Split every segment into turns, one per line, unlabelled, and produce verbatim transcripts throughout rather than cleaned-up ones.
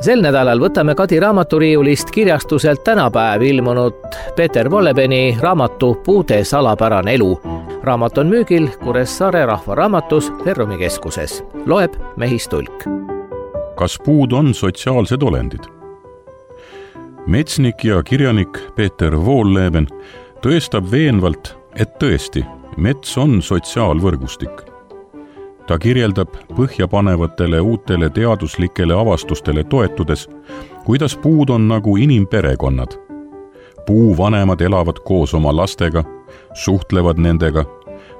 Sel nädalal võtame Kadi raamaturiiulist kirjastuselt tänapäev ilmunud Peeter Vollebeni raamatu Puude salapärane elu. Raamat on müügil Kuressaare rahvaraamatus Ferrumi keskuses. Loeb Mehis Tulk.
Kas puud on sotsiaalsed olendid? Metsnik ja kirjanik Peeter Volleben tõestab veenvalt, et tõesti, mets on sotsiaalvõrgustik. Ta kirjeldab põhjapanevatele uutele teaduslikele avastustele toetudes, kuidas puud on nagu inimperekonnad. Puuvanemad elavad koos oma lastega, suhtlevad nendega,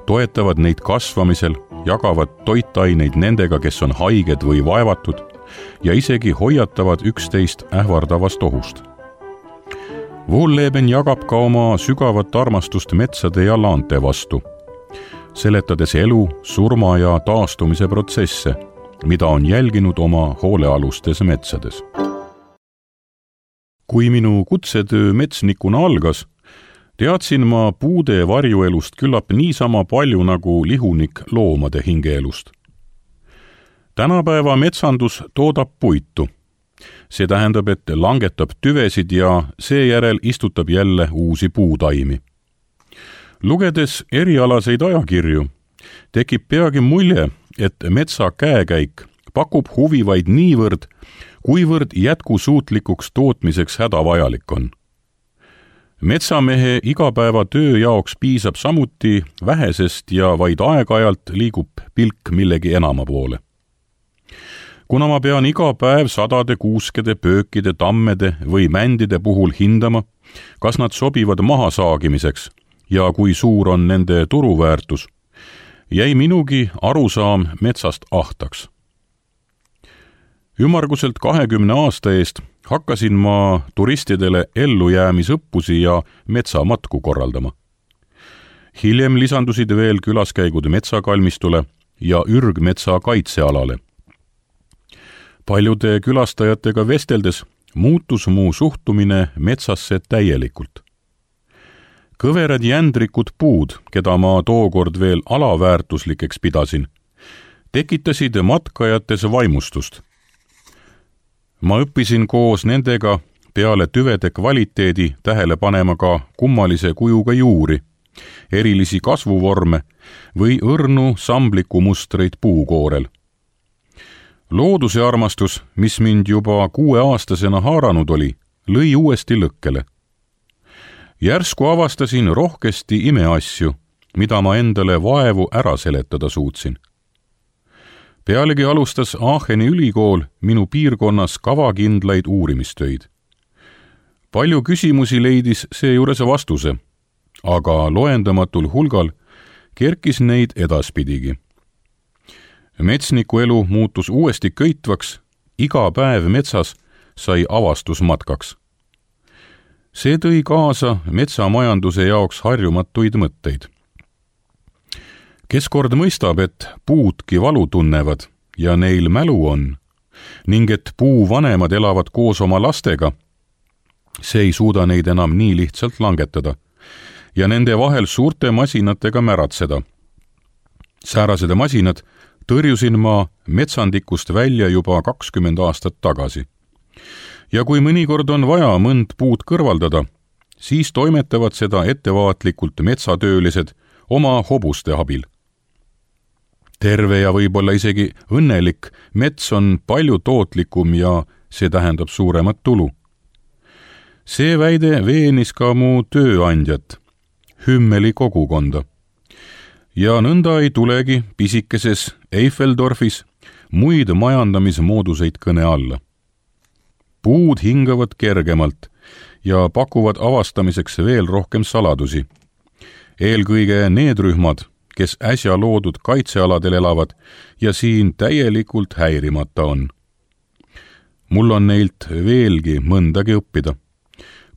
toetavad neid kasvamisel, jagavad toitaineid nendega, kes on haiged või vaevatud ja isegi hoiatavad üksteist ähvardavast ohust. Volleben jagab ka oma sügavat armastust metsade ja laante vastu, seletades elu, surma ja taastumise protsesse, mida on jälginud oma hoolealustes metsades. Kui minu kutsetöö metsnikuna algas, teadsin ma puude varjuelust küllap niisama palju nagu lihunik loomade hingeelust. Tänapäeva metsandus toodab puitu. See tähendab, et langetab tüvesid ja seejärel istutab jälle uusi puutaimi. Lugedes erialaseid ajakirju, tekib peagi mulje, et metsa käekäik pakub huvi vaid niivõrd, kuivõrd jätkusuutlikuks tootmiseks hädavajalik on. Metsamehe igapäeva töö jaoks piisab samuti vähesest ja vaid aeg-ajalt liigub pilk millegi enama poole. Kuna ma pean iga päev sadade kuuskede, pöökide, tammede või mändide puhul hindama, kas nad sobivad mahasaagimiseks ja kui suur on nende turuväärtus, jäi minugi arusaam metsast ahtaks. Ümmarguselt kahekümne aasta eest hakkasin ma turistidele ellujäämisõppusi ja metsamatku korraldama. Hiljem lisandusid veel külaskäigud metsakalmistule ja ürgmetsa kaitsealale. Paljude külastajatega vesteldes muutus mu suhtumine metsasse täielikult. Kõverad jändrikud puud, keda ma tookord veel alaväärtuslikeks pidasin, tekitasid matkajates vaimustust. Ma õppisin koos nendega peale tüvede kvaliteedi tähele panema ka kummalise kujuga juuri, erilisi kasvuvorme või õrnu sambliku mustreid puukoorel. Looduse armastus, mis mind juba kuueaastasena haaranud oli, lõi uuesti lõkkele. Järsku avastasin rohkesti imeasju, mida ma endale vaevu ära seletada suutsin. Pealegi alustas Aacheni ülikool minu piirkonnas kavakindlaid uurimistöid. Palju küsimusi leidis seejuures vastuse, aga loendamatul hulgal kerkis neid edaspidigi. Metsniku elu muutus uuesti köitvaks, iga päev metsas sai avastusmatkaks. See tõi kaasa metsamajanduse jaoks harjumatuid mõtteid. Kes kord mõistab, et puudki valu tunnevad ja neil mälu on, ning et puuvanemad elavad koos oma lastega, see ei suuda neid enam nii lihtsalt langetada ja nende vahel suurte masinatega märatseda. Säärased masinad tõrjusin ma metsandikust välja juba kakskümmend aastat tagasi. Ja kui mõnikord on vaja mõnd puud kõrvaldada, siis toimetavad seda ettevaatlikult metsatöölised oma hobuste abil. Terve ja võib-olla isegi õnnelik mets on palju tootlikum ja see tähendab suuremat tulu. See väide veenis ka mu tööandjat, Hümmeli kogukonda. Ja nõnda ei tulegi pisikeses Eiffeldorfis muid majandamismooduseid kõne alla. Puud hingavad kergemalt ja pakuvad avastamiseks veel rohkem saladusi. Eelkõige need rühmad, kes äsja loodud kaitsealadel elavad ja siin täielikult häirimata on. Mul on neilt veelgi mõndagi õppida,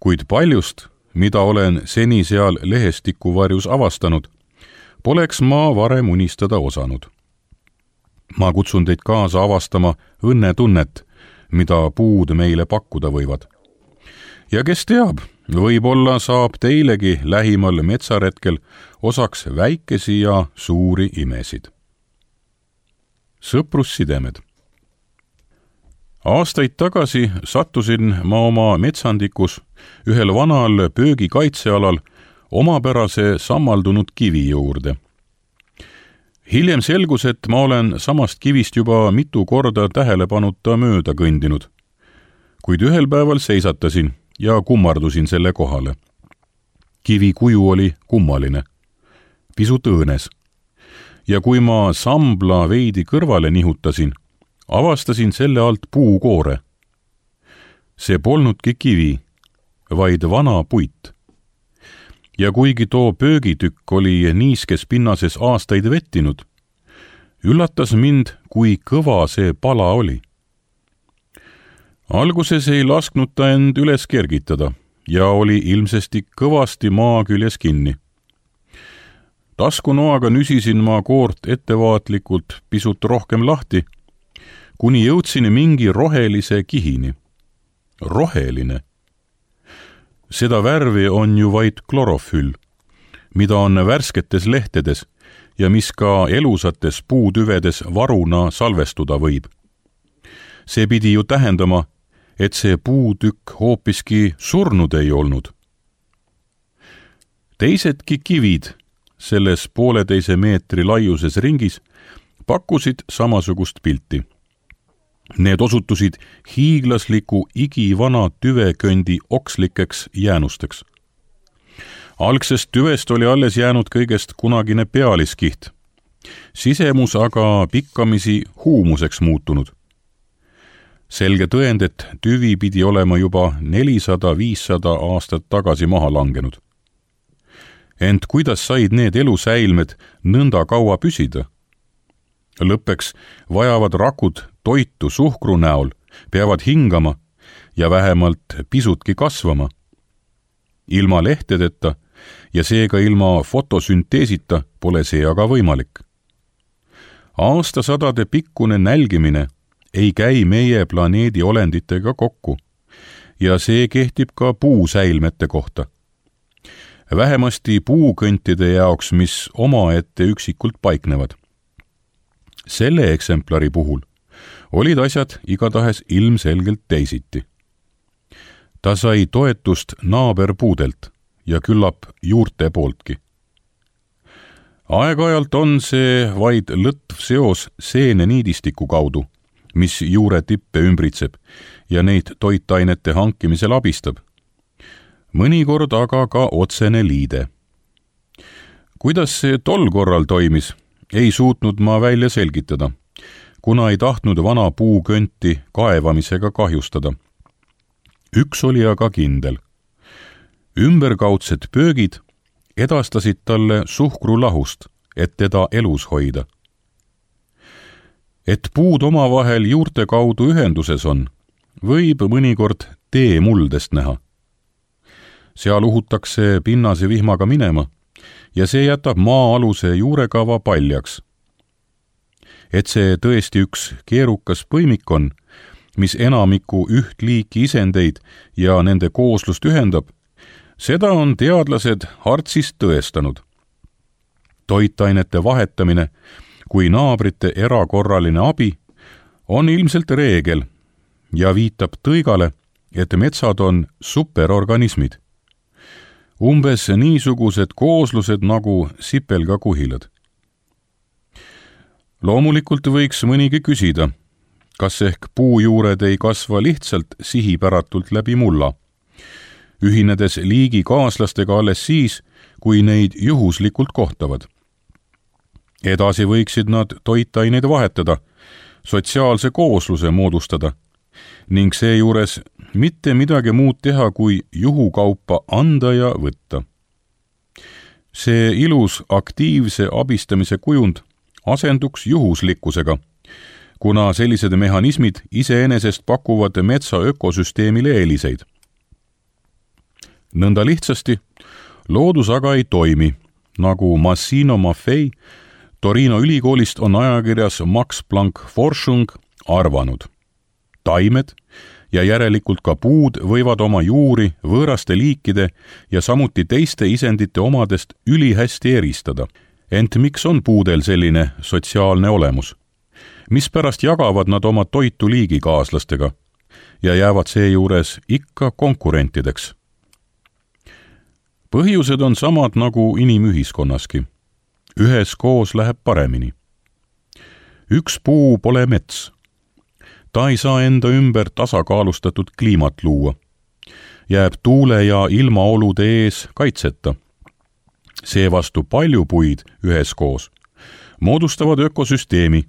kuid paljust, mida olen seni seal lehestiku varjus avastanud, poleks ma varem unistada osanud. Ma kutsun teid kaasa avastama õnnetunnet, mida puud meile pakkuda võivad. Ja kes teab, võib-olla saab teilegi lähimal metsaretkel osaks väikesi ja suuri imesid. Sõprussidemed. Aastaid tagasi sattusin ma oma metsandikus ühel vanal pöögi kaitsealal omapärase sammaldunud kivi juurde. Hiljem selgus, et ma olen samast kivist juba mitu korda tähelepanuta mööda kõndinud, kuid ühel päeval seisatasin ja kummardusin selle kohale. Kivi kuju oli kummaline, pisut õõnes, ja kui ma sambla veidi kõrvale nihutasin, avastasin selle alt puukoore. See polnudki kivi, vaid vana puit. Ja kuigi too pöögitükk oli niiskes pinnases aastaid vettinud, üllatas mind, kui kõva see pala oli. Alguses ei lasknud ta end üles kergitada ja oli ilmsesti kõvasti maa küljes kinni. Taskunoaga nüsisin ma koort ettevaatlikult pisut rohkem lahti, kuni jõudsin mingi rohelise kihini. Roheline. Seda värvi on ju vaid klorofüll, mida on värsketes lehtedes ja mis ka elusates puutüvedes varuna salvestuda võib. See pidi ju tähendama, et see puutükk hoopiski surnud ei olnud. Teisedki kivid selles pooleteise meetri laiuses ringis pakkusid samasugust pilti. Need osutusid hiiglasliku igivana tüveköndi okslikeks jäänusteks. Algsest tüvest oli alles jäänud kõigest kunagine pealiskiht, sisemus aga pikkamisi huumuseks muutunud. Selge tõend, et tüvi pidi olema juba nelisada viissada aastat tagasi maha langenud. Ent kuidas said need elusäilmed nõnda kaua püsida? Lõppeks vajavad rakud toitu suhkru näol, peavad hingama ja vähemalt pisutki kasvama. Ilma lehtedeta ja seega ilma fotosünteesita pole see aga võimalik. Aastasadade pikkune nälgimine ei käi meie planeedi olenditega kokku ja see kehtib ka puusäilmete kohta. Vähemasti puukõntide jaoks, mis omaette üksikult paiknevad. Selle eksemplari puhul olid asjad igatahes ilmselgelt teisiti. Ta sai toetust naaberpuudelt ja küllap juurte pooltki. Aeg-ajalt on see vaid lõtv seos seeneniidistiku kaudu, mis juure tippe ümbritseb ja neid toitainete hankimisel abistab. Mõnikord aga ka otsene liide. Kuidas see tol korral toimis, ei suutnud ma välja selgitada, kuna ei tahtnud vana puukönti kaevamisega kahjustada. Üks oli aga kindel. Ümberkaudsed pöögid edastasid talle suhkrulahust, et teda elus hoida. Et puud omavahel juurte kaudu ühenduses on, võib mõnikord tee muldest näha. Seal uhutakse pinnase vihmaga minema ja see jätab maa-aluse juurekava paljaks. Et see tõesti üks keerukas põimik on, mis enamiku üht liiki isendeid ja nende kooslust ühendab, seda on teadlased Hartsist tõestanud. Toitainete vahetamine kui naabrite erakorraline abi on ilmselt reegel ja viitab tõigale, et metsad on superorganismid. Umbes niisugused kooslused nagu sipelgakuhilad. Loomulikult võiks mõnigi küsida, kas ehk puujuured ei kasva lihtsalt sihipäratult läbi mulla, ühinedes liigi kaaslastega alles siis, kui neid juhuslikult kohtavad. Edasi võiksid nad toitaineid vahetada, sotsiaalse koosluse moodustada ning seejuures mitte midagi muud teha, kui juhukaupa anda ja võtta. See ilus aktiivse abistamise kujund asenduks juhuslikkusega, kuna sellised mehhanismid iseenesest pakuvad metsa ökosüsteemile eeliseid. Nõnda lihtsasti loodus aga ei toimi, nagu Massimo Maffei Torino ülikoolist on ajakirjas Max Planck Forschung arvanud. Taimed ja järelikult ka puud võivad oma juuri võõraste liikide ja samuti teiste isendite omadest ülihästi eristada. Ent miks on puudel selline sotsiaalne olemus? mispärast jagavad nad oma toitu liigikaaslastega ja jäävad seejuures ikka konkurentideks. Põhjused on samad nagu inimühiskonnaski. Üheskoos läheb paremini. Üks puu pole mets. Ta ei saa enda ümber tasakaalustatud kliimat luua. Jääb tuule ja ilmaolude ees kaitseta. Seevastu palju puid üheskoos moodustavad ökosüsteemi,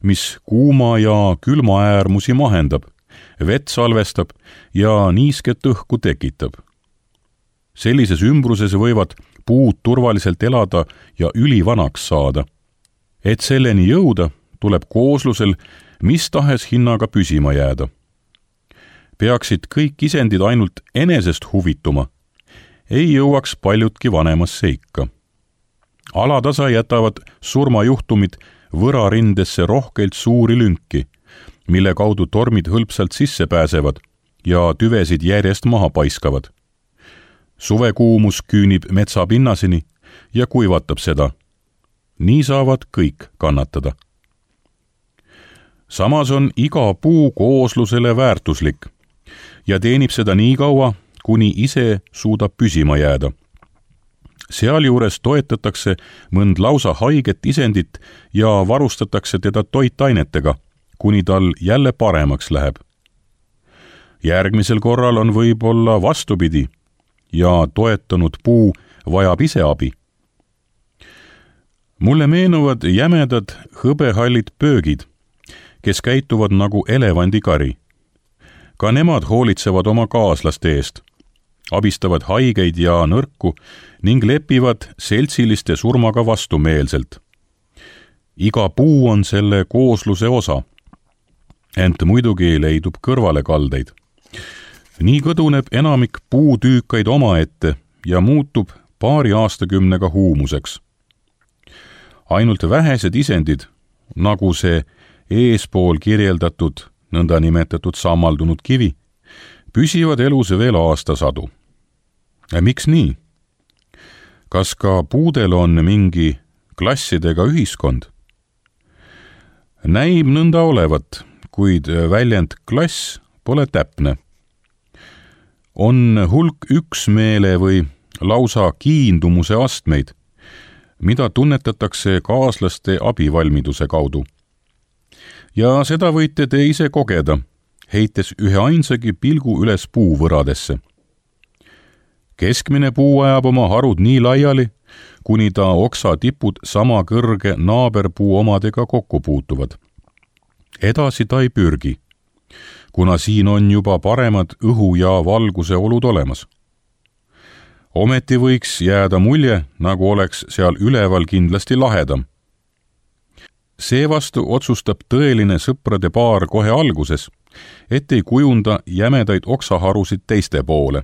mis kuuma ja külma äärmusi mahendab, vett salvestab ja niisket õhku tekitab. Sellises ümbruses võivad puud turvaliselt elada ja ülivanaks saada. Et selleni jõuda, tuleb kooslusel mis tahes hinnaga püsima jääda. Peaksid kõik isendid ainult enesest huvituma, ei jõuaks paljudki vanemasse ikka. Alatasa jätavad surmajuhtumid võrarindesse rohkelt suuri lünki, mille kaudu tormid hõlpsalt sisse pääsevad ja tüvesid järjest maha paiskavad. Suvekuumus küünib metsa pinnaseni ja kuivatab seda. Nii saavad kõik kannatada. Samas on iga puu kooslusele väärtuslik ja teenib seda nii kaua, kuni ise suudab püsima jääda. Sealjuures toetatakse mõnd lausa haiget isendit ja varustatakse teda toitainetega, kuni tal jälle paremaks läheb. Järgmisel korral on võib-olla vastupidi ja toetanud puu vajab ise abi. Mulle meenuvad jämedad hõbehallid pöögid, kes käituvad nagu elevandikari. Ka nemad hoolitsevad oma kaaslaste eest, abistavad haigeid ja nõrku ning lepivad seltsiliste surmaga vastumeelselt. Iga puu on selle koosluse osa, ent muidugi leidub kõrvalekaldeid. Nii kõduneb enamik puutüükaid omaette ja muutub paari aastakümnega huumuseks. Ainult vähesed isendid, nagu see eespool kirjeldatud nõnda nimetatud sammaldunud kivi, püsivad elus veel aastasadu. Miks nii? Kas ka puudel on mingi klassidega ühiskond? Näib nõnda olevat, kuid väljend klass pole täpne. On hulk üksmeele või lausa kiindumuse astmeid, mida tunnetatakse kaaslaste abivalmiduse kaudu. Ja seda võite te ise kogeda, heites ühe ainsagi pilgu üles puuvõradesse. Keskmine puu ajab oma harud nii laiali, kuni ta oksa tipud sama kõrge naaberpuu omadega kokku puutuvad. Edasi ta ei pürgi, kuna siin on juba paremad õhu ja valguse olud olemas. Ometi võiks jääda mulje, nagu oleks seal üleval kindlasti lahedam. Seevastu otsustab tõeline sõprade paar kohe alguses, et ei kujunda jämedaid oksaharusid teiste poole.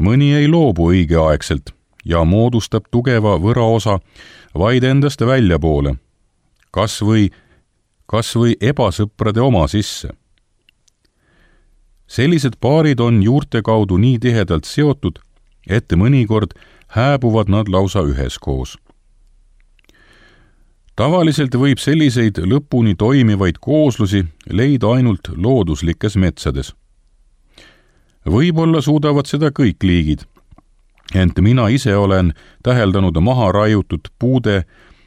Mõni ei loobu õigeaegselt ja moodustab tugeva võraosa vaid endast väljapoole, kas või, kas või ebasõprade oma sisse. Sellised paarid on juurte kaudu nii tihedalt seotud, et mõnikord hääbuvad nad lausa üheskoos. Tavaliselt võib selliseid lõpuni toimivaid kooslusi leida ainult looduslikes metsades. Võib-olla suudavad seda kõik liigid, ent mina ise olen täheldanud maha raiutud puude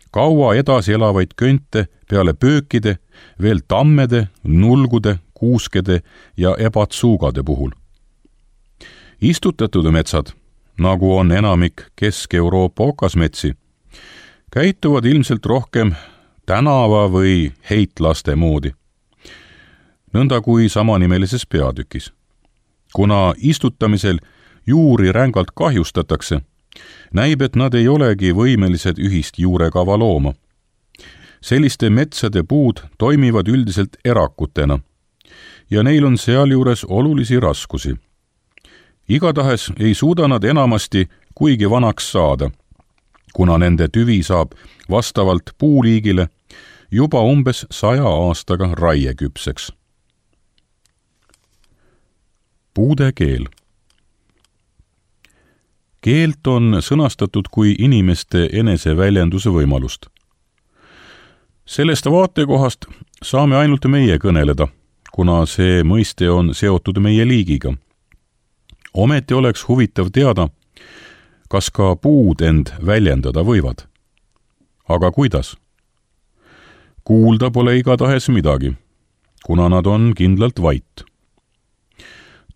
kaua edasi elavaid könte peale pöökide, veel tammede, nulgude, kuuskede ja ebatsuugade puhul. Istutatud metsad, nagu on enamik Kesk-Euroopa okasmetsi, käituvad ilmselt rohkem tänava või heitlaste moodi, nõnda kui samanimelises peatükis. Kuna istutamisel juuri rängalt kahjustatakse, näib, et nad ei olegi võimelised ühist juurekava looma. Selliste metsade puud toimivad üldiselt erakutena ja neil on sealjuures olulisi raskusi. Igatahes ei suuda nad enamasti kuigi vanaks saada, kuna nende tüvi saab vastavalt puuliigile juba umbes saja aastaga raieküpseks. Puude keel. Keelt on sõnastatud kui inimeste eneseväljenduse võimalust. Sellest vaatekohast saame ainult meie kõneleda, kuna see mõiste on seotud meie liigiga. Ometi oleks huvitav teada, kas ka puud end väljendada võivad. Aga kuidas? Kuulda pole igatahes midagi, kuna nad on kindlalt vait.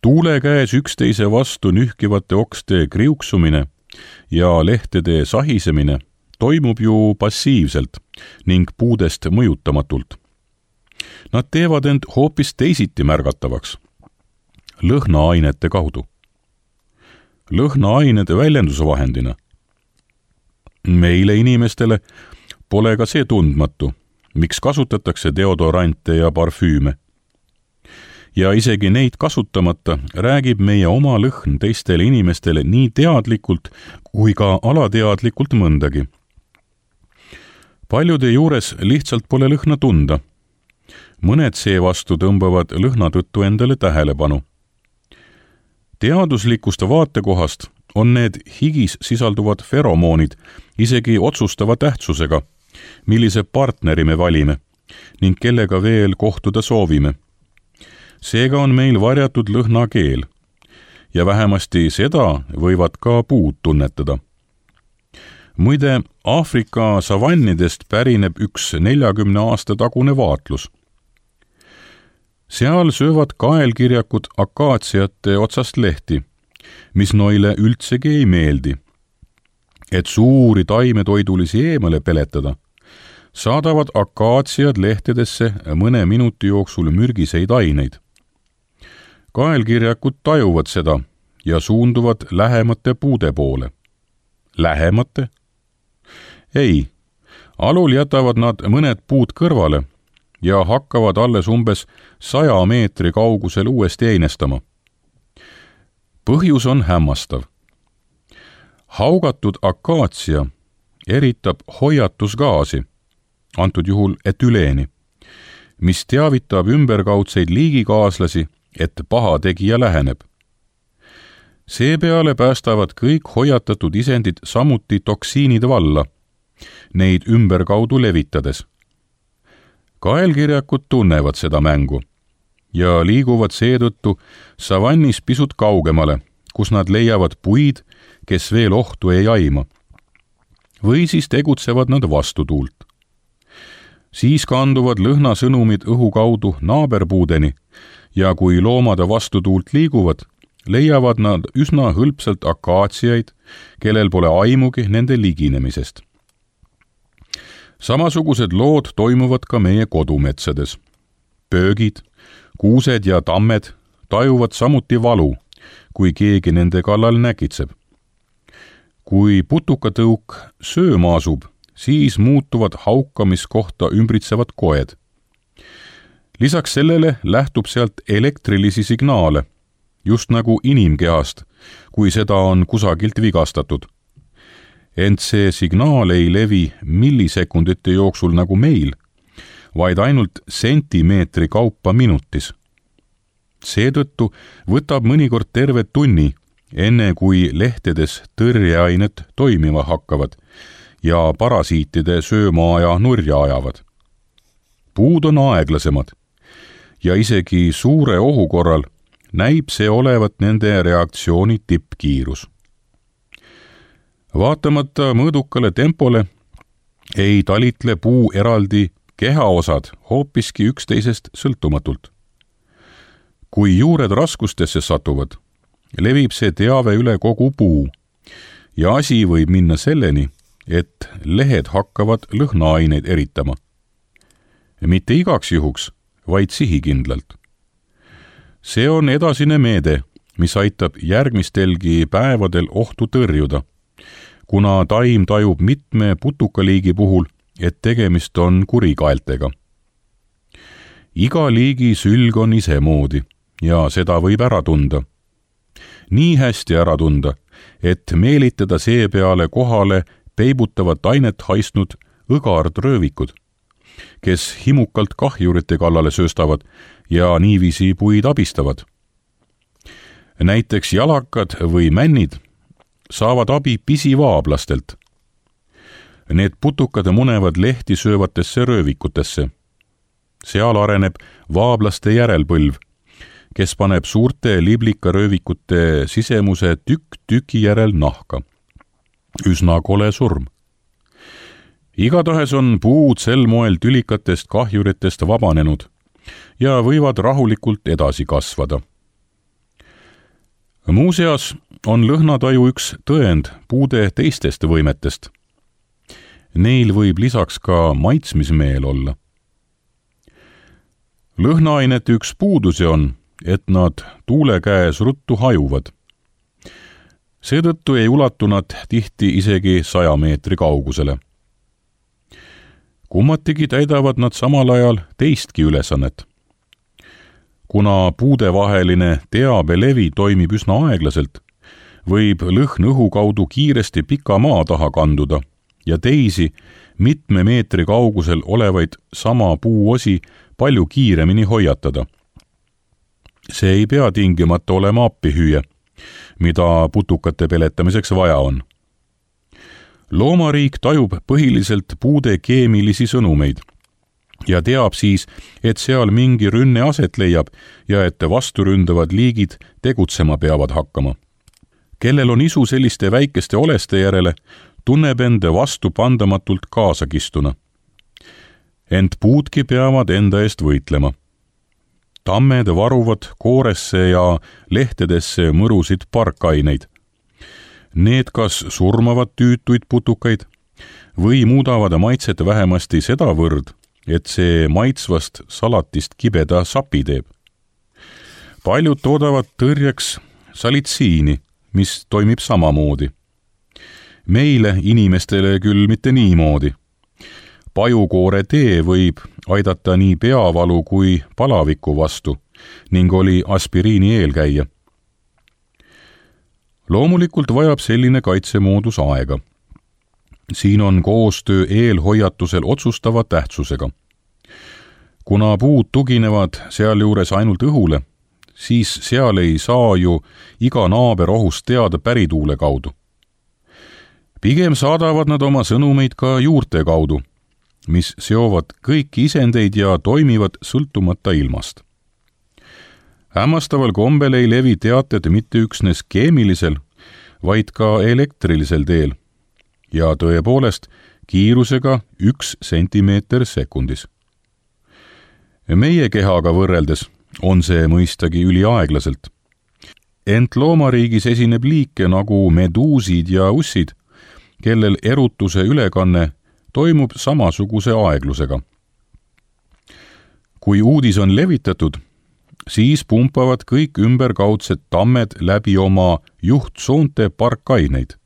Tuule käes üksteise vastu nühkivate okste kriuksumine ja lehtede sahisemine toimub ju passiivselt ning puudest mõjutamatult. Nad teevad end hoopis teisiti märgatavaks, lõhnaainete kaudu. Lõhnaained väljendusvahendina. Meile inimestele pole ka see tundmatu, miks kasutatakse deodorante ja parfüüme. Ja isegi neid kasutamata räägib meie oma lõhn teistele inimestele nii teadlikult kui ka alateadlikult mõndagi. Paljude juures lihtsalt pole lõhna tunda. Mõned seevastu tõmbavad lõhna tõttu endale tähelepanu. Teaduslikust vaatekohast on need higis sisalduvad feromoonid isegi otsustava tähtsusega, millise partneri me valime ning kellega veel kohtuda soovime. Seega on meil varjatud lõhnakeel ja vähemasti seda võivad ka puud tunnetada. Muide, Aafrika savannidest pärineb üks neljakümne aasta tagune vaatlus. Seal söövad kaelkirjakud akaatsiate otsast lehti, mis noile üldsegi ei meeldi. Et suuri taimetoidulisi eemale peletada, saadavad akaatsiad lehtedesse mõne minuti jooksul mürgiseid aineid. Kaelkirjakud tajuvad seda ja suunduvad lähemate puude poole. Lähemate? Ei, alul jätavad nad mõned puud kõrvale ja hakkavad alles umbes saja meetri kaugusel uuesti einestama. Põhjus on hämmastav. Haugatud akaatsia eritab hoiatusgaasi, antud juhul etüleeni, mis teavitab ümberkaudseid liigikaaslasi, et paha tegija läheneb. Seepeale päästavad kõik hoiatatud isendid samuti toksiinid valla, neid ümberkaudu levitades. Kaelkirjakud tunnevad seda mängu ja liiguvad seetõttu savannis pisut kaugemale, kus nad leiavad puid, kes veel ohtu ei aima. Või siis tegutsevad nad vastutuult. Siis kanduvad lõhnasõnumid õhu kaudu naaberpuudeni ja kui loomade vastutuult liiguvad, leiavad nad üsna hõlpsalt akaatsiaid, kellel pole aimugi nende liginemisest. Samasugused lood toimuvad ka meie kodumetsades. Pöögid, kuused ja tammed tajuvad samuti valu, kui keegi nende kallal näkitseb. Kui putukatõuk sööma asub, siis muutuvad haukamiskohta ümbritsevad koed. Lisaks sellele lähtub sealt elektrilisi signaale, just nagu inimkehast, kui seda on kusagilt vigastatud. Ent see signaal ei levi millisekundite jooksul nagu meil, vaid ainult sentimeetri kaupa minutis. Seetõttu võtab mõnikord terve tunni, enne kui lehtedes tõrjeainet toimima hakkavad ja parasiitide söömaaja nurja ajavad. Puud on aeglasemad ja isegi suure ohu korral näib see olevat nende reaktsiooni tippkiirus. Vaatamata mõõdukale tempole ei talitle puu eraldi kehaosad hoopiski üksteisest sõltumatult. Kui juured raskustesse satuvad, levib see teave üle kogu puu ja asi võib minna selleni, et lehed hakkavad lõhnaaineid eritama. Mitte igaks juhuks, vaid sihikindlalt. See on edasine meede, mis aitab järgmistelgi päevadel ohtu tõrjuda, kuna taim tajub mitme putukaliigi puhul, et tegemist on kurikaeltega. Iga liigi sülg on isemoodi ja seda võib ära tunda. Nii hästi ära tunda, et meelitada seepeale kohale peibutavat ainet haisnud õgardröövikud, kes himukalt kahjurite kallale sööstavad ja niiviisi puid abistavad. Näiteks jalakad või männid saavad abi pisivaablastelt. Need putukad munevad lehti söövatesse röövikutesse. Seal areneb vaablaste järelpõlv, kes paneb suurte liblikaröövikute sisemuse tükk tüki järel nahka. Üsna kole surm. Igatahes on puud sel moel tülikatest kahjuritest vabanenud ja võivad rahulikult edasi kasvada. Muuseas on lõhnataju üks tõend puude teistest võimetest. Neil võib lisaks ka maitsmismeel olla. Lõhnaainete üks puudusi on, et nad tuule käes ruttu hajuvad. Seetõttu ei ulatu nad tihti isegi saja meetri kaugusele. Kummatigi täidavad nad samal ajal teistki ülesannet. Kuna puudevaheline teabelevi toimib üsna aeglaselt, võib lõhn õhu kaudu kiiresti pika maa taha kanduda ja teisi mitme meetri kaugusel olevaid sama puuosi palju kiiremini hoiatada. See ei pea tingimata olema appihüüe, mida putukate peletamiseks vaja on. Loomariik tajub põhiliselt puude keemilisi sõnumeid ja teab siis, et seal mingi rünne aset leiab ja et vasturündavad liigid tegutsema peavad hakkama. Kellel on isu selliste väikeste oleste järele, tunneb enda vastupandamatult kaasakistuna. Ent puudki peavad enda eest võitlema. Tammed varuvad kooresse ja lehtedesse mõrusid parkaineid. Need kas surmavad tüütuid putukaid või muudavad maitset vähemasti sedavõrd, et see maitsvast salatist kibeda sapi teeb. Paljud toodavad tõrjeks salitsiini, mis toimib samamoodi. Meile inimestele küll mitte niimoodi. Pajukoore tee võib aidata nii peavalu kui palaviku vastu ning oli aspiriini eelkäija. Loomulikult vajab selline kaitsemoodus aega. Siin on koostöö eelhoiatusel otsustava tähtsusega. Kuna puud tuginevad sealjuures ainult õhule, siis seal ei saa ju iga naaber ohust teada pärituule kaudu. Pigem saadavad nad oma sõnumeid ka juurte kaudu, mis seovad kõiki isendeid ja toimivad sõltumata ilmast. Hämmastaval kombel ei levi teated mitte üksnes keemilisel, vaid ka elektrilisel teel ja tõepoolest kiirusega üks sentimeeter sekundis. Meie kehaga võrreldes on see mõistagi üliaeglaselt. Ent loomariigis esineb liike nagu meduusid ja ussid, kellel erutuse ülekanne toimub samasuguse aeglusega. Kui uudis on levitatud, siis pumpavad kõik ümberkaudsed tammed läbi oma juhtsoonte parkaineid.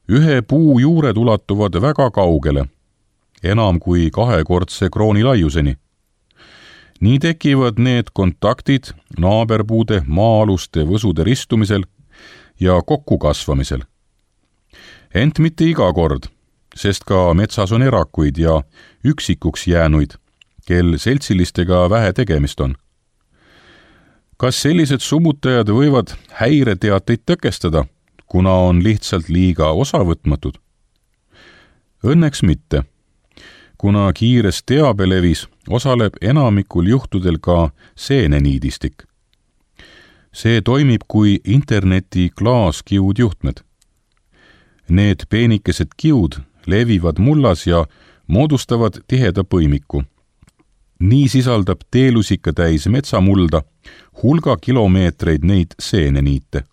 Ühe puu juured ulatuvad väga kaugele, enam kui kahekordse krooni laiuseni. Nii tekivad need kontaktid naaberpuude maa-aluste võsude ristumisel ja kokkukasvamisel. Ent mitte iga kord, sest ka metsas on erakuid ja üksikuks jäänuid, kel seltsilistega vähe tegemist on. Kas sellised summutajad võivad häireteateid tõkestada, kuna on lihtsalt liiga osavõtmatud? Õnneks mitte, kuna kiires teabelevis osaleb enamikul juhtudel ka seeneniidistik. See toimib kui interneti klaaskiudjuhtmed. Need peenikesed kiud levivad mullas ja moodustavad tiheda põimiku. Nii sisaldab teelusika täis metsamulda hulga kilomeetreid neid seeneniite.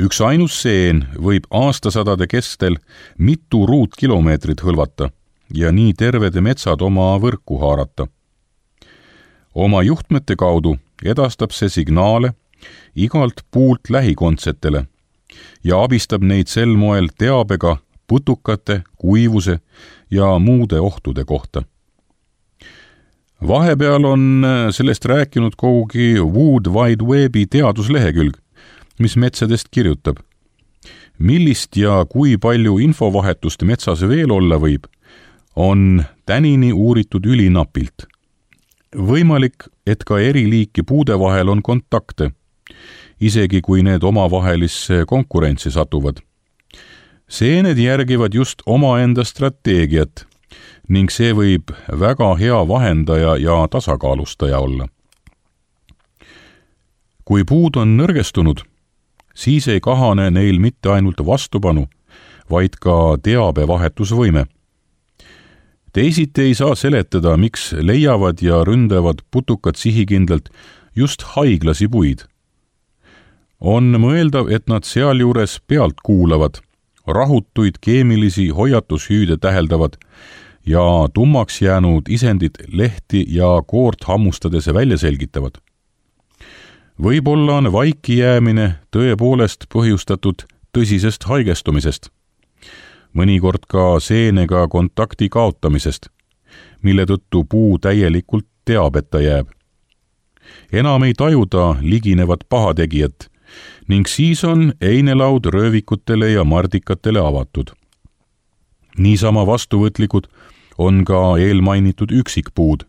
Üks ainus seen võib aastasadade kestel mitu ruutkilomeetrit hõlvata ja nii terved metsad oma võrku haarata. Oma juhtmete kaudu edastab see signaale igalt puult lähikondsetele ja abistab neid sel moel teabega putukate, kuivuse ja muude ohtude kohta. Vahepeal on sellest rääkinud kogugi Wood Wide Webi teaduslehekülg, mis metsadest kirjutab. Millist ja kui palju infovahetust metsas veel olla võib, on tänini uuritud ülinapilt. Võimalik, et ka eri liiki puude vahel on kontakte, isegi kui need omavahelisse konkurentsi satuvad. Seened järgivad just omaenda strateegiat ning see võib väga hea vahendaja ja tasakaalustaja olla. Kui puud on nõrgestunud, siis ei kahane neil mitte ainult vastupanu, vaid ka teabevahetusvõime. Teisiti ei saa seletada, miks leiavad ja ründavad putukad sihikindlalt just haiglasi puid. On mõeldav, et nad sealjuures pealt kuulavad, rahutuid keemilisi hoiatushüüde täheldavad ja tummaks jäänud isendid lehti ja koort hammustades välja selgitavad. Võib-olla on vaiki jäämine tõepoolest põhjustatud tõsisest haigestumisest, mõnikord ka seenega kontakti kaotamisest, mille tõttu puu täielikult teabeta jääb. Enam ei tajuda liginevat pahategijat ning siis on einelaud röövikutele ja mardikatele avatud. Niisama vastuvõtlikud on ka eelmainitud üksikpuud,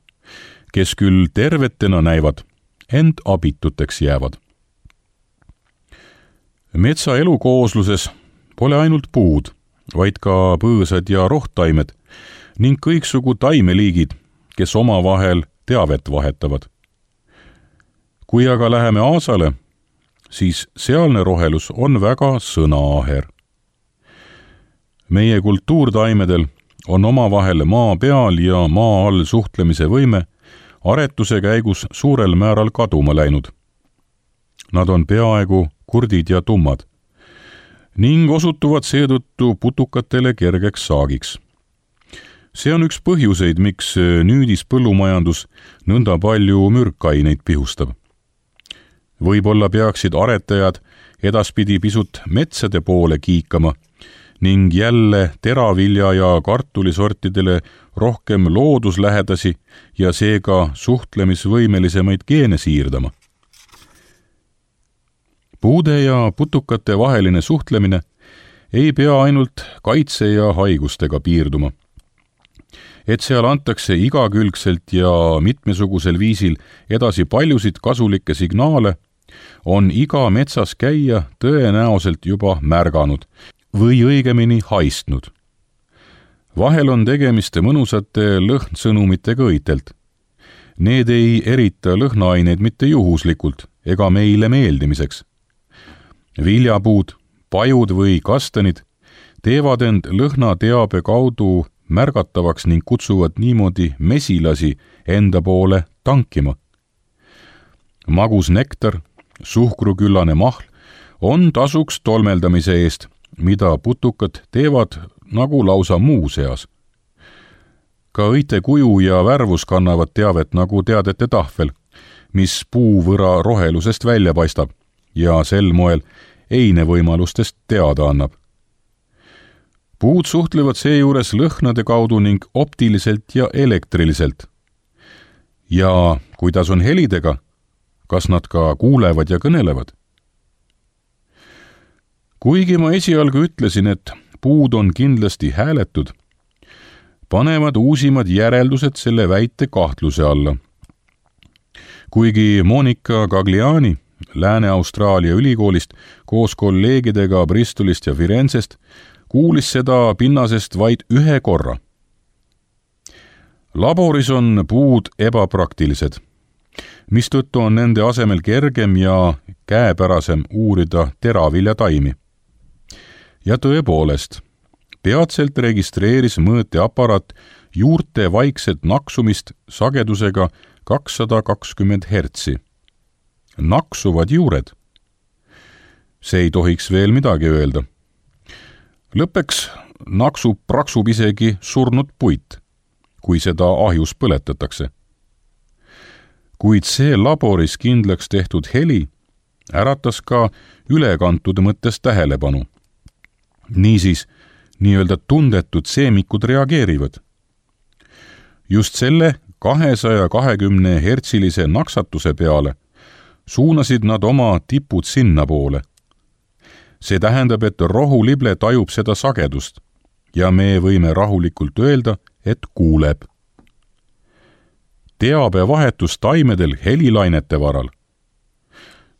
kes küll tervetena näivad, ent abituteks jäävad. Metsa elukoosluses pole ainult puud, vaid ka põõsad ja rohtaimed ning kõiksugu taimeliigid, kes omavahel teavet vahetavad. Kui aga läheme aasale, siis sealne rohelus on väga sõnaaher. Meie kultuurtaimedel on omavahel maa peal ja maa all suhtlemise võime aretuse käigus suurel määral kaduma läinud. Nad on peaaegu kurdid ja tummad ning osutuvad seetõttu putukatele kergeks saagiks. See on üks põhjuseid, miks nüüdis põllumajandus nõnda palju mürkaineid pihustab. Võib-olla peaksid aretajad edaspidi pisut metsade poole kiikama ning jälle teravilja ja kartulisortidele rohkem looduslähedasi ja seega suhtlemisvõimelisemaid geene siirdama. Puude ja putukate vaheline suhtlemine ei pea ainult kaitse ja haigustega piirduma. Et seal antakse igakülgselt ja mitmesugusel viisil edasi paljusid kasulikke signaale, on iga metsas käija tõenäoliselt juba märganud või õigemini haistnud. Vahel on tegemist mõnusate lõhnsõnumitega õitelt. Need ei erita lõhnaaineid mitte juhuslikult ega meile meeldimiseks. Viljapuud, pajud või kastanid teevad end lõhnateabe kaudu märgatavaks ning kutsuvad niimoodi mesilasi enda poole tankima. Magus nektar, suhkruküllane mahl on tasuks tolmeldamise eest, mida putukad teevad nagu lausa muu seas. Ka õite kuju ja värvus kannavad teavet nagu teadete tahvel, mis puuvõra rohelusest välja paistab ja sel moel eine võimalustest teada annab. Puud suhtlevad seejuures lõhnade kaudu ning optiliselt ja elektriliselt. Ja kuidas on helidega? Kas nad ka kuulevad ja kõnelevad? Kuigi ma esialgu ütlesin, et puud on kindlasti hääletud, panevad uusimad järeldused selle väite kahtluse alla. Kuigi Monika Gagliani Lääne-Austraalia ülikoolist koos kolleegidega Bristolist ja Firenzest kuulis seda pinnasest vaid ühe korra. Laboris on puud ebapraktilised, mistõttu on nende asemel kergem ja käepärasem uurida teraviljataimi. Ja tõepoolest, peatselt registreeris mõõteaparaat juurte vaikset naksumist sagedusega kakssada kakskümmend hertsi. Naksuvad juured. See ei tohiks veel midagi öelda. Lõppeks naksub praksub isegi surnud puit, kui seda ahjus põletatakse. Kuid see laboris kindlaks tehtud heli äratas ka ülekantud mõttes tähelepanu. Niisiis, nii-öelda tundetud seemikud reageerivad. Just selle kahesaja kahekümne hertsilise naksatuse peale suunasid nad oma tipud sinna poole. See tähendab, et rohulible tajub seda sagedust ja me võime rahulikult öelda, et kuuleb. Teabevahetus taimedel helilainete varal.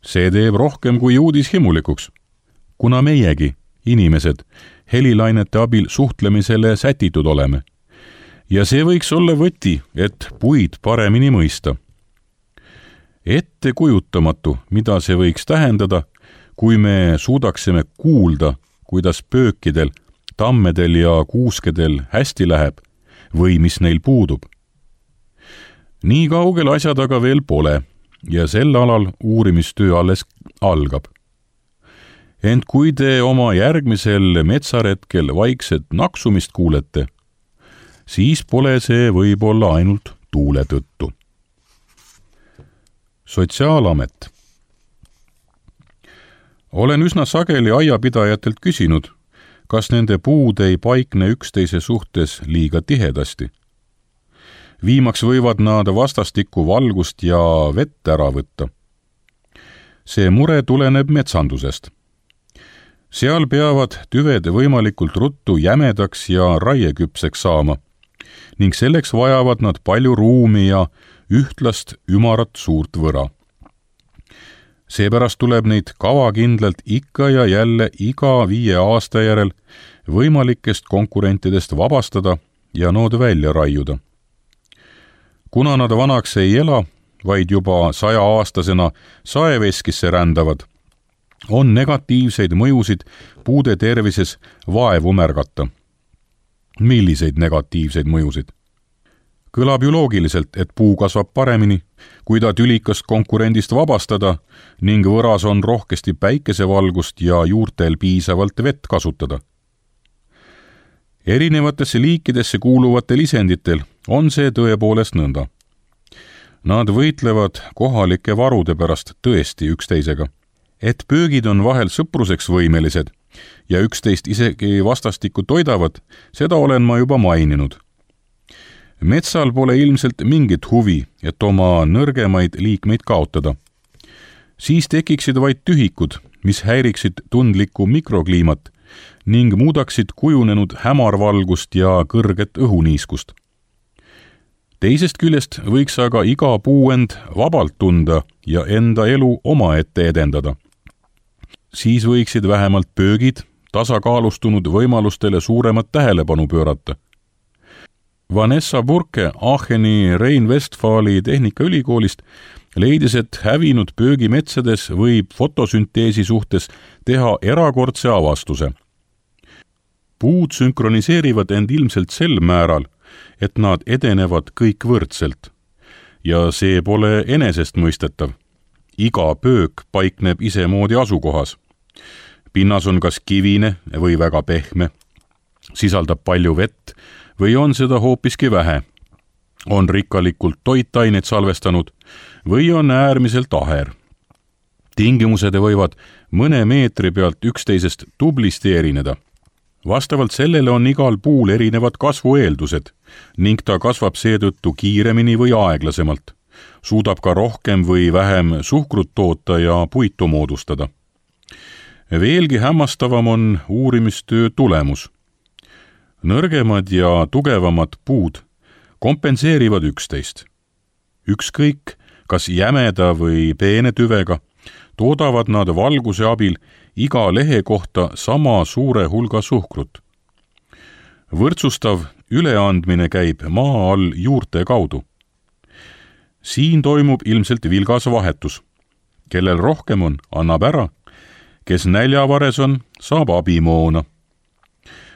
See teeb rohkem kui uudishimulikuks, kuna meiegi inimesed, helilainete abil suhtlemisele sätitud oleme. Ja see võiks olla võti, et puid paremini mõista. Ettekujutamatu, mida see võiks tähendada, kui me suudaksime kuulda, kuidas pöökidel, tammedel ja kuuskedel hästi läheb või mis neil puudub. Nii kaugel asjad aga veel pole ja sel alal uurimistöö alles algab. Ent kui te oma järgmisel metsaretkel vaikset naksumist kuulete, siis pole see võib-olla ainult tuule tõttu. Sotsiaalamet. Olen üsna sageli aiapidajatelt küsinud, kas nende puud ei paikne üksteise suhtes liiga tihedasti. Viimaks võivad nad vastastikku valgust ja vett ära võtta. See mure tuleneb metsandusest. Seal peavad tüved võimalikult ruttu jämedaks ja raieküpseks saama ning selleks vajavad nad palju ruumi ja ühtlast ümarat suurt võra. Seepärast tuleb neid kavakindlalt ikka ja jälle iga viie aasta järel võimalikest konkurentidest vabastada ja nood välja raiuda. Kuna nad vanaks ei ela, vaid juba saja-aastasena saeveskisse rändavad, on negatiivseid mõjusid puude tervises vaevu märgata. Milliseid negatiivseid mõjusid? Kõlab ju loogiliselt, et puu kasvab paremini, kui ta tülikast konkurendist vabastada ning võras on rohkesti päikesevalgust ja juurtel piisavalt vett kasutada. Erinevatesse liikidesse kuuluvatel isenditel on see tõepoolest nõnda. Nad võitlevad kohalike varude pärast tõesti üksteisega. Et pöögid on vahel sõpruseks võimelised ja üksteist isegi vastastikku toidavad, seda olen ma juba maininud. Metsal pole ilmselt mingit huvi, et oma nõrgemaid liikmeid kaotada. Siis tekiksid vaid tühikud, mis häiriksid tundlikku mikrokliimat ning muudaksid kujunenud hämarvalgust ja kõrget õhuniiskust. Teisest küljest võiks aga iga puu end vabalt tunda ja enda elu omaette edendada. Siis võiksid vähemalt pöögid tasakaalustunud võimalustele suuremat tähelepanu pöörata. Vanessa Burke Aacheni Rhein-Westfali Tehnikaülikoolist leidis, et hävinud pöögimetsades võib fotosünteesi suhtes teha erakordse avastuse. Puud sünkroniseerivad end ilmselt sel määral, et nad edenevad kõik võrdselt. Ja see pole enesestmõistetav. Iga pöök paikneb isemoodi asukohas. Pinnas on kas kivine või väga pehme, sisaldab palju vett või on seda hoopiski vähe, on rikkalikult toitaineid salvestanud või on äärmiselt aher. Tingimused võivad mõne meetri pealt üksteisest tublisti erineda. Vastavalt sellele on igal puul erinevad kasvueeldused ning ta kasvab seetõttu kiiremini või aeglasemalt, suudab ka rohkem või vähem suhkrut toota ja puitu moodustada. Veelgi hämmastavam on uurimistöö tulemus. Nõrgemad ja tugevamad puud kompenseerivad üksteist. Ükskõik, kas jämeda või peene tüvega, toodavad nad valguse abil iga lehe kohta sama suure hulga suhkrut. Võrdsustav üleandmine käib maa all juurte kaudu. Siin toimub ilmselt vilgas vahetus. Kellel rohkem on, annab ära, kes näljavares on, saab abimoona.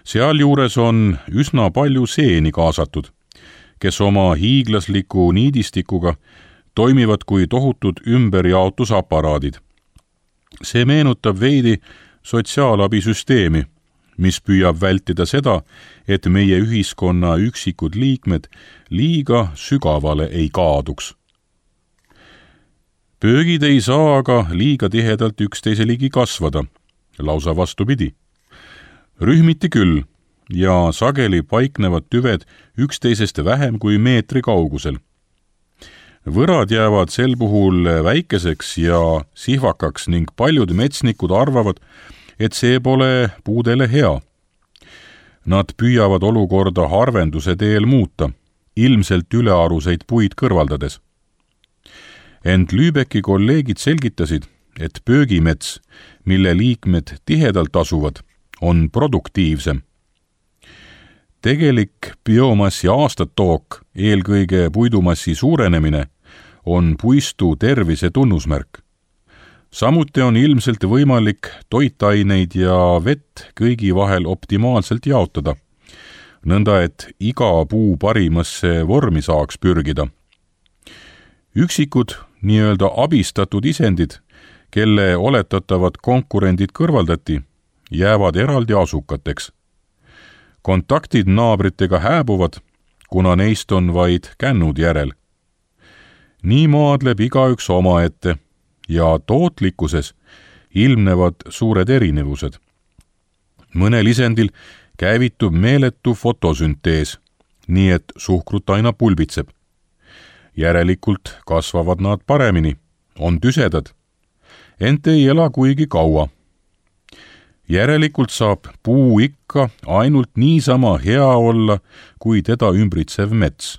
Sealjuures on üsna palju seeni kaasatud, kes oma hiiglasliku niidistikuga toimivad kui tohutud ümberjaotusaparaadid. See meenutab veidi sotsiaalabisüsteemi, mis püüab vältida seda, et meie ühiskonna üksikud liikmed liiga sügavale ei kaaduks. Pöögid ei saa aga liiga tihedalt üksteise ligi kasvada, lausa vastupidi. Rühmiti küll ja sageli paiknevad tüved üksteisest vähem kui meetri kaugusel. Võrad jäävad sel puhul väikeseks ja sihvakaks ning paljud metsnikud arvavad, et see pole puudele hea. Nad püüavad olukorda harvenduse teel muuta, ilmselt ülearuseid puid kõrvaldades. Ent Lübecki kolleegid selgitasid, et pöögimets, mille liikmed tihedalt asuvad, on produktiivsem. Tegelik biomassi aastatook, eelkõige puidumassi suurenemine, on puistu tervise tunnusmärk. Samuti on ilmselt võimalik toitaineid ja vett kõigi vahel optimaalselt jaotada, nõnda et iga puu parimasse vormi saaks pürgida. Üksikud, nii-öelda abistatud isendid, kelle oletatavad konkurendid kõrvaldati, jäävad eraldi asukateks. Kontaktid naabritega hääbuvad, kuna neist on vaid kännud järel. Nii maadleb igaüks omaette ja tootlikkuses ilmnevad suured erinevused. Mõnel isendil käivitub meeletu fotosüntees, nii et suhkrut aina pulbitseb. Järelikult kasvavad nad paremini, on tüsedad, ent ei ela kuigi kaua. Järelikult saab puu ikka ainult niisama hea olla, kui teda ümbritsev mets,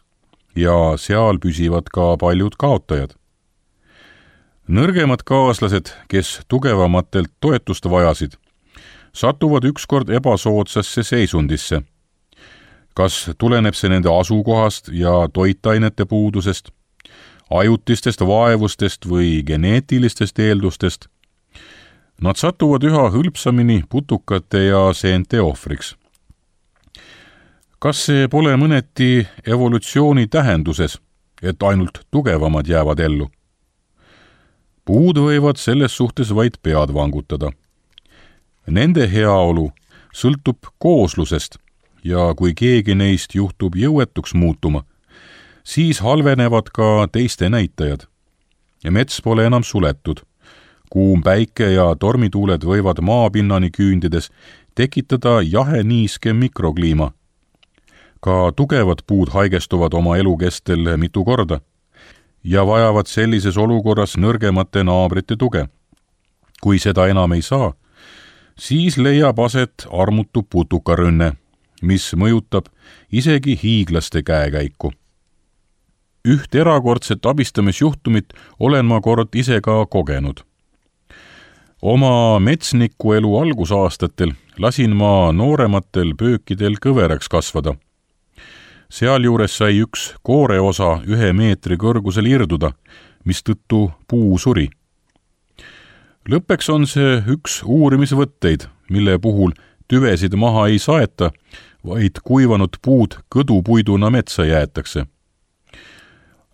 ja seal püsivad ka paljud kaotajad. Nõrgemad kaaslased, kes tugevamatelt toetust vajasid, satuvad ükskord ebasoodsasse seisundisse. Kas tuleneb see nende asukohast ja toitainete puudusest, ajutistest vaevustest või geneetilistest eeldustest? Nad satuvad üha hõlpsamini putukate ja seente ohvriks. Kas see pole mõneti evolutsiooni tähenduses, et ainult tugevamad jäävad ellu? Puud võivad selles suhtes vaid pead vangutada. Nende heaolu sõltub kooslusest ja kui keegi neist juhtub jõuetuks muutuma, siis halvenevad ka teiste näitajad. Ja mets pole enam suletud. Kuum päike ja tormituuled võivad maapinnani küündides tekitada jahe niiske mikrokliima. Ka tugevad puud haigestuvad oma elukestel mitu korda ja vajavad sellises olukorras nõrgemate naabrite tuge. Kui seda enam ei saa, siis leiab aset armutu putukarünne, mis mõjutab isegi hiiglaste käekäiku. Üht erakordset abistamisjuhtumit olen ma kord ise ka kogenud. Oma metsniku elu algusaastatel lasin ma noorematel pöökidel kõveraks kasvada. Sealjuures sai üks kooreosa ühe meetri kõrgusel irduda, mistõttu puu suri. Lõppeks on see üks uurimisvõtteid, mille puhul tüvesid maha ei saeta, vaid kuivanud puud kõdupuiduna metsa jäetakse.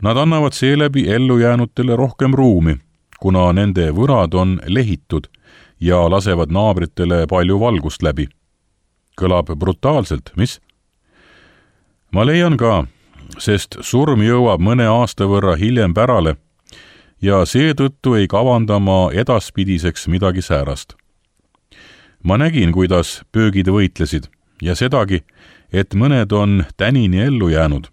Nad annavad seeläbi ellujäänutele rohkem ruumi, kuna nende võrad on lehitud ja lasevad naabritele palju valgust läbi. Kõlab brutaalselt, mis? Ma leian ka, sest surm jõuab mõne aasta võrra hiljem pärale ja seetõttu ei kavanda ma edaspidiseks midagi säärast. Ma nägin, kuidas pöögid võitlesid ja sedagi, et mõned on tänini ellu jäänud.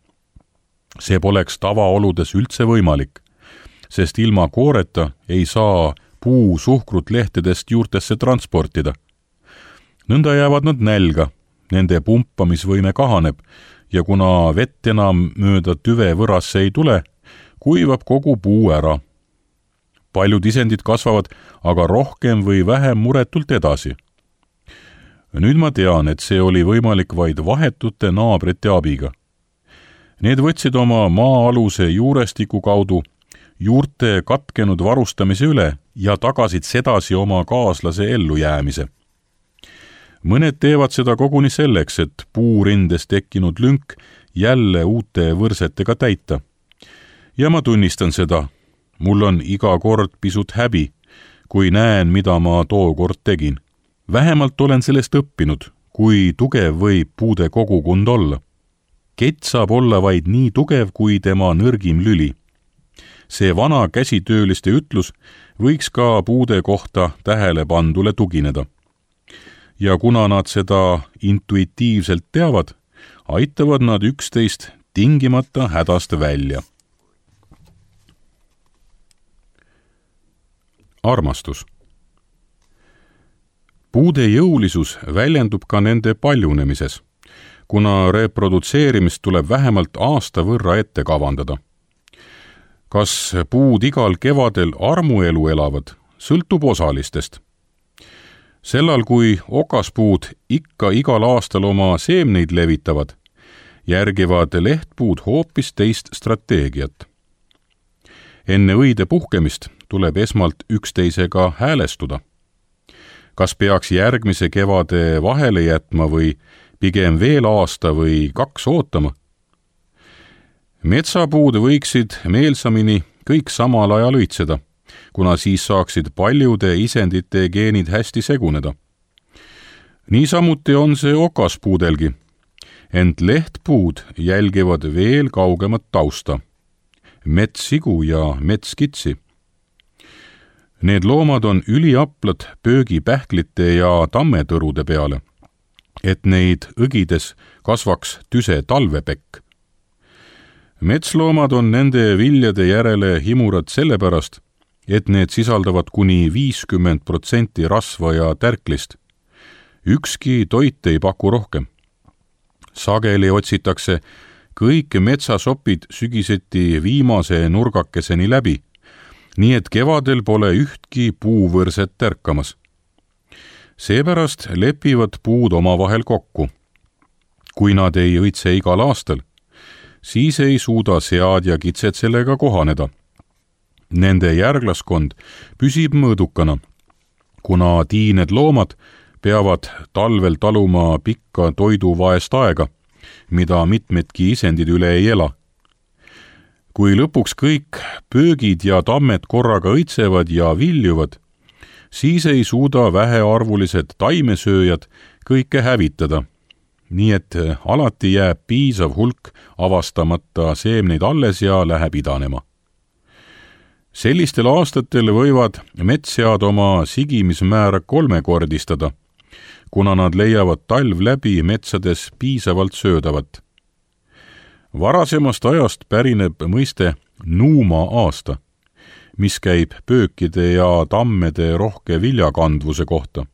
See poleks tavaoludes üldse võimalik, sest ilma kooreta ei saa puu suhkrut lehtedest juurtesse transportida. Nõnda jäävad nad nälga, nende pumpamisvõime kahaneb ja kuna vett enam mööda tüve võrasse ei tule, kuivab kogu puu ära. Paljud isendid kasvavad aga rohkem või vähem muretult edasi. Nüüd ma tean, et see oli võimalik vaid vahetute naabrite abiga. Need võtsid oma maa-aluse juurestiku kaudu juurte katkenud varustamise üle ja tagasid sedasi oma kaaslase ellujäämise. Mõned teevad seda koguni selleks, et puurindes tekkinud lünk jälle uute võrsetega täita. Ja ma tunnistan seda. Mul on iga kord pisut häbi, kui näen, mida ma tookord tegin. Vähemalt olen sellest õppinud, kui tugev võib puude kogukond olla. Kett saab olla vaid nii tugev, kui tema nõrgim lüli. See vana käsitööliste ütlus võiks ka puude kohta tähelepandule tugineda. Ja kuna nad seda intuitiivselt teavad, aitavad nad üksteist tingimata hädast välja. Armastus. Puude jõulisus väljendub ka nende paljunemises, kuna reprodutseerimist tuleb vähemalt aasta võrra ette kavandada. Kas puud igal kevadel armuelu elavad, sõltub osalistest. Sellal, kui okaspuud ikka igal aastal oma seemneid levitavad, järgivad lehtpuud hoopis teist strateegiat. Enne õide puhkemist tuleb esmalt üksteisega häälestuda. Kas peaks järgmise kevade vahele jätma või pigem veel aasta või kaks ootama? Metsapuud võiksid meelsamini kõik samal ajal õitseda, kuna siis saaksid paljude isendite geenid hästi seguneda. Niisamuti on see okaspuudelgi, ent lehtpuud jälgivad veel kaugemat tausta, metssigu ja metskitsi. Need loomad on üliaplad pöögipähklite ja tammetõrude peale, et neid õgides kasvaks tüse talvepekk. Metsloomad on nende viljade järele himurad sellepärast, et need sisaldavad kuni viiskümmend protsenti rasva ja tärklist. Ükski toit ei paku rohkem. Sageli otsitakse kõik metsasopid sügiseti viimase nurgakeseni läbi, nii et kevadel pole ühtki puuvõrset tärkamas. Seepärast lepivad puud omavahel kokku. Kui nad ei õitse igal aastal, siis ei suuda sead ja kitsed sellega kohaneda. Nende järglaskond püsib mõõdukana, kuna tiined loomad peavad talvel taluma pikka toiduvaest aega, mida mitmedki isendid üle ei ela. Kui lõpuks kõik pöögid ja tammed korraga õitsevad ja viljuvad, siis ei suuda vähearvulised taimesööjad kõike hävitada, nii et alati jääb piisav hulk avastamata seemneid alles ja läheb idanema. Sellistel aastatel võivad metssead oma sigimismäära kolmekordistada, kuna nad leiavad talv läbi metsades piisavalt söödavat. Varasemast ajast pärineb mõiste nuuma aasta, mis käib pöökide ja tammede rohke viljakandvuse kohta.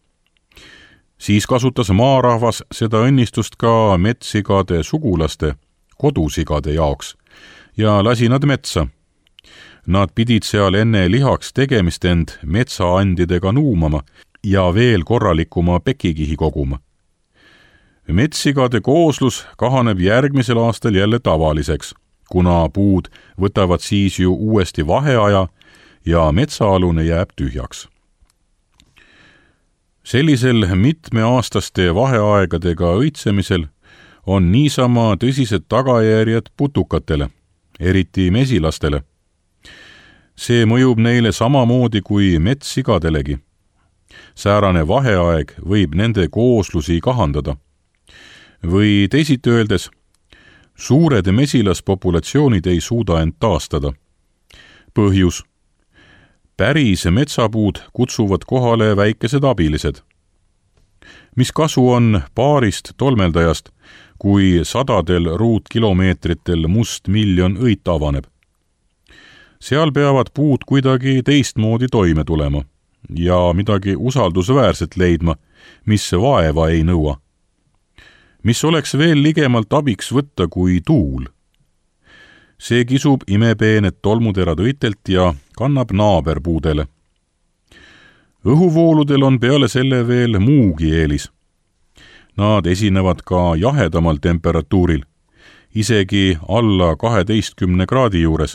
Siis kasutas maarahvas seda õnnistust ka metssigade sugulaste, kodusigade jaoks ja lasi nad metsa. Nad pidid seal enne lihaks tegemist end metsaandidega nuumama ja veel korralikuma pekikihi koguma. Metssigade kooslus kahaneb järgmisel aastal jälle tavaliseks, kuna puud võtavad siis ju uuesti vaheaja ja metsaalune jääb tühjaks. Sellisel mitmeaastaste vaheaegadega õitsemisel on niisama tõsised tagajärjed putukatele, eriti mesilastele. See mõjub neile samamoodi kui metssigadelegi. Säärane vaheaeg võib nende kooslusi kahandada. Või teisiti öeldes, suured mesilaspopulatsioonid ei suuda end taastada. Põhjus. Päris metsapuud kutsuvad kohale väikesed abilised. Mis kasu on paarist tolmeldajast, kui sadadel ruutkilomeetritel must miljon õit avaneb? Seal peavad puud kuidagi teistmoodi toime tulema ja midagi usaldusväärset leidma, mis vaeva ei nõua. Mis oleks veel ligemalt abiks võtta kui tuul. See kisub imepeened tolmuterad õitelt ja kannab naaberpuudele. Õhuvooludel on peale selle veel muugi eelis. Nad esinevad ka jahedamal temperatuuril, isegi alla kaheteistkümne kraadi juures,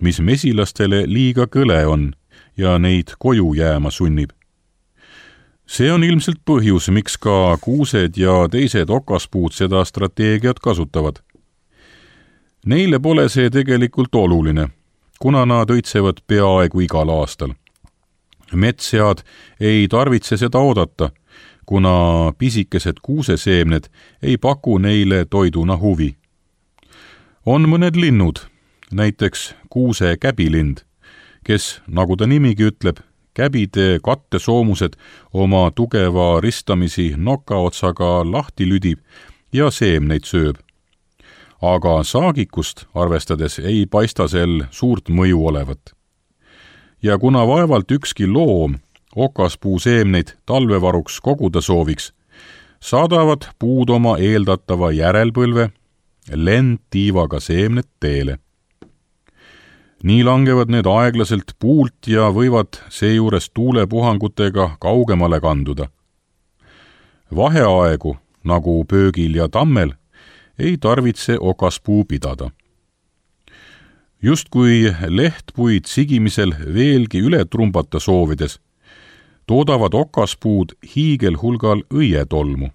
mis mesilastele liiga kõle on ja neid koju jääma sunnib. See on ilmselt põhjus, miks ka kuused ja teised okaspuud seda strateegiat kasutavad. Neile pole see tegelikult oluline, kuna nad õitsevad peaaegu igal aastal. Metssead ei tarvitse seda oodata, kuna pisikesed kuuseseemned ei paku neile toiduna huvi. On mõned linnud, näiteks kuuse käbilind, kes, nagu ta nimigi ütleb, käbide kattesoomused oma tugeva ristamisi nokaotsaga lahti lüdib ja seemneid sööb. Aga saagikust arvestades ei paista sel suurt mõju olevat. Ja kuna vaevalt ükski loom okaspuu seemneid talvevaruks koguda sooviks, saadavad puud oma eeldatava järelpõlve lendtiivaga seemned teele. nii langevad need aeglaselt puult ja võivad seejuures tuulepuhangutega kaugemale kanduda. Vaheaegu, nagu pöögil ja tammel, ei tarvitse okaspuu pidada. Just kui lehtpuid sigimisel veelgi üle trumbata soovides, toodavad okaspuud hiigelhulgal õietolmu.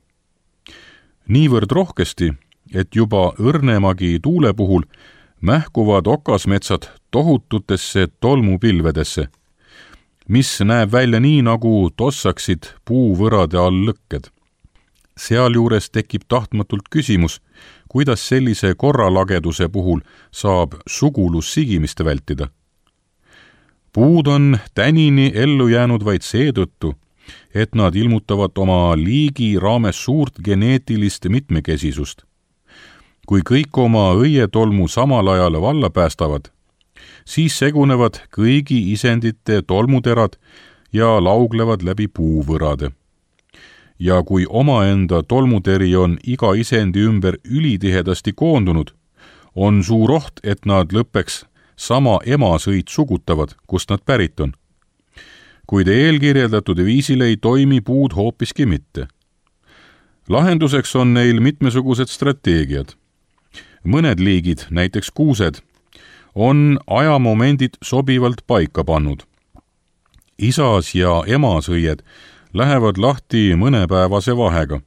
Niivõrd rohkesti, et juba õrnemagi tuule puhul mähkuvad okasmetsad tohututesse tolmupilvedesse, mis näeb välja nii, nagu tossaksid puuvõrade all lõkked. Sealjuures tekib tahtmatult küsimus, kuidas sellise korralageduse puhul saab sugulussigimist vältida. Puud on tänini ellu jäänud vaid seetõttu, et nad ilmutavad oma liigi raames suurt geneetilist mitmekesisust. Kui kõik oma õietolmu samal ajal valla päästavad, siis segunevad kõigi isendite tolmuterad ja lauglevad läbi puuvõrade. Ja kui omaenda tolmuteri on iga isendi ümber ülitihedasti koondunud, on suur oht, et nad lõppeks sama emasõit sugutavad, kust nad pärit on. Kuid eelkirjeldatud viisil ei toimi puud hoopiski mitte. Lahenduseks on neil mitmesugused strateegiad. Mõned liigid, näiteks kuused, on ajamomendid sobivalt paika pannud. Isas ja emasõied lähevad lahti mõnepäevase vahega,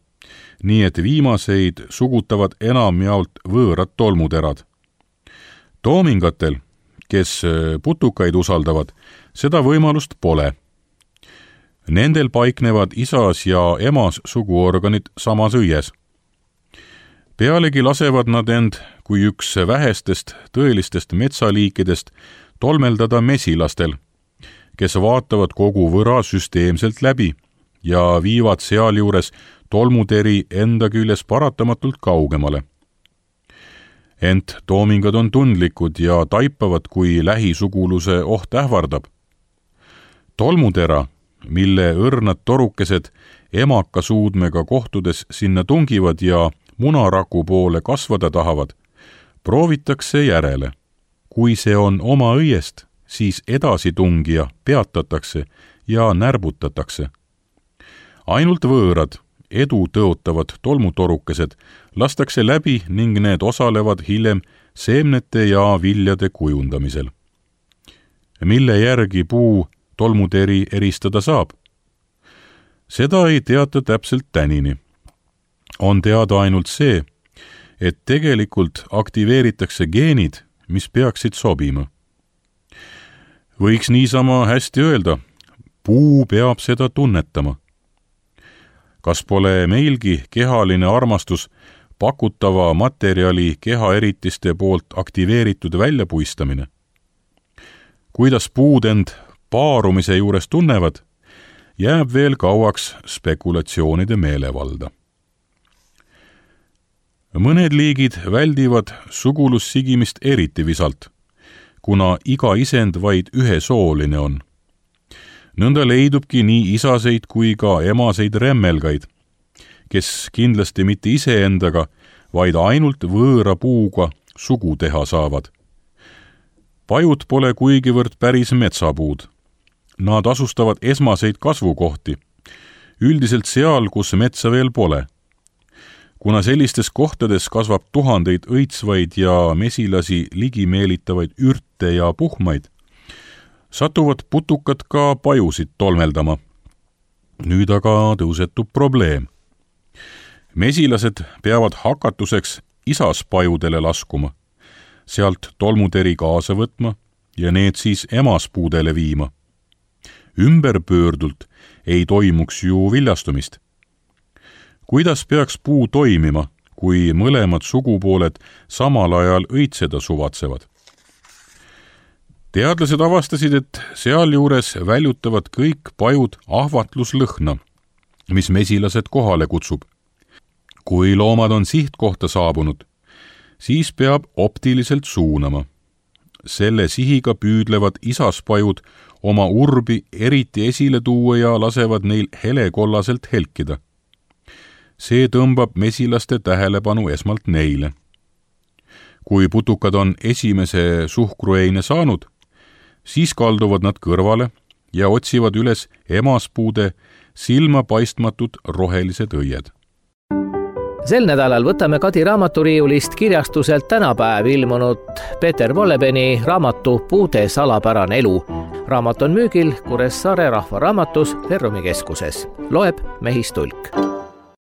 nii et viimaseid sugutavad enamjaolt võõrad tolmuterad. Toomingatel, kes putukaid usaldavad, seda võimalust pole. Nendel paiknevad isas ja emas suguorganid samas õies. Pealegi lasevad nad end, kui üks vähestest tõelistest metsaliikidest, tolmeldada mesilastel, kes vaatavad kogu võra süsteemselt läbi ja viivad sealjuures tolmuteri enda küljes paratamatult kaugemale. Ent toomingad on tundlikud ja taipavad, kui lähisuguluse oht ähvardab. Tolmutera, mille õrnad torukesed emakasuudmega kohtudes sinna tungivad ja munaraku poole kasvada tahavad, proovitakse järele. Kui see on oma õiest, siis edasitungija peatatakse ja närbutatakse. Ainult võõrad, edu tõotavad tolmutorukesed lastakse läbi ning need osalevad hiljem seemnete ja viljade kujundamisel. Mille järgi puu tolmuteri eristada saab? Seda ei teata täpselt tänini. On teada ainult see, et tegelikult aktiveeritakse geenid, mis peaksid sobima. Võiks niisama hästi öelda, puu peab seda tunnetama. Kas pole meilgi kehaline armastus pakutava materjali kehaeritiste poolt aktiveeritud väljapuistamine? Kuidas puud end paarumise juures tunnevad, jääb veel kauaks spekulatsioonide meelevalda. Mõned liigid väldivad sugulussigimist eriti visalt, kuna iga isend vaid ühesooline on. Nõnda leidubki nii isaseid kui ka emaseid remmelgaid, kes kindlasti mitte iseendaga, vaid ainult võõra puuga sugu teha saavad. Pajud pole kuigivõrd päris metsapuud. Nad asustavad esmaseid kasvukohti, üldiselt seal, kus metsa veel pole. Kuna sellistes kohtades kasvab tuhandeid õitsvaid ja mesilasi ligimeelitavaid ürte ja puhmaid, satuvad putukad ka pajusid tolmeldama. Nüüd aga tõusetub probleem. Mesilased peavad hakatuseks isaspajudele laskuma, sealt tolmuteri kaasa võtma ja need siis emaspuudele viima. Ümberpöördult ei toimuks ju viljastumist. Kuidas peaks puu toimima, kui mõlemad sugupooled samal ajal õitseda suvatsevad? Teadlased avastasid, et sealjuures väljutavad kõik pajud ahvatluslõhna, mis mesilased kohale kutsub. Kui loomad on sihtkohta saabunud, siis peab optiliselt suunama. Selle sihiga püüdlevad isaspajud oma urbi eriti esile tuua ja lasevad neil helekollaselt helkida. See tõmbab mesilaste tähelepanu esmalt neile. kui putukad on esimese suhkrueine saanud, siis kalduvad nad kõrvale ja otsivad üles emaspuude silmapaistmatud rohelised õied.
Sel nädalal võtame Kadi raamaturiiulist kirjastuselt tänapäev ilmunud Peeter Wollebeni raamatu Puude salapärane elu. Raamat on müügil Kuressaare Rahvaraamatus Ferrumi keskuses. Loeb Mehis Tulk.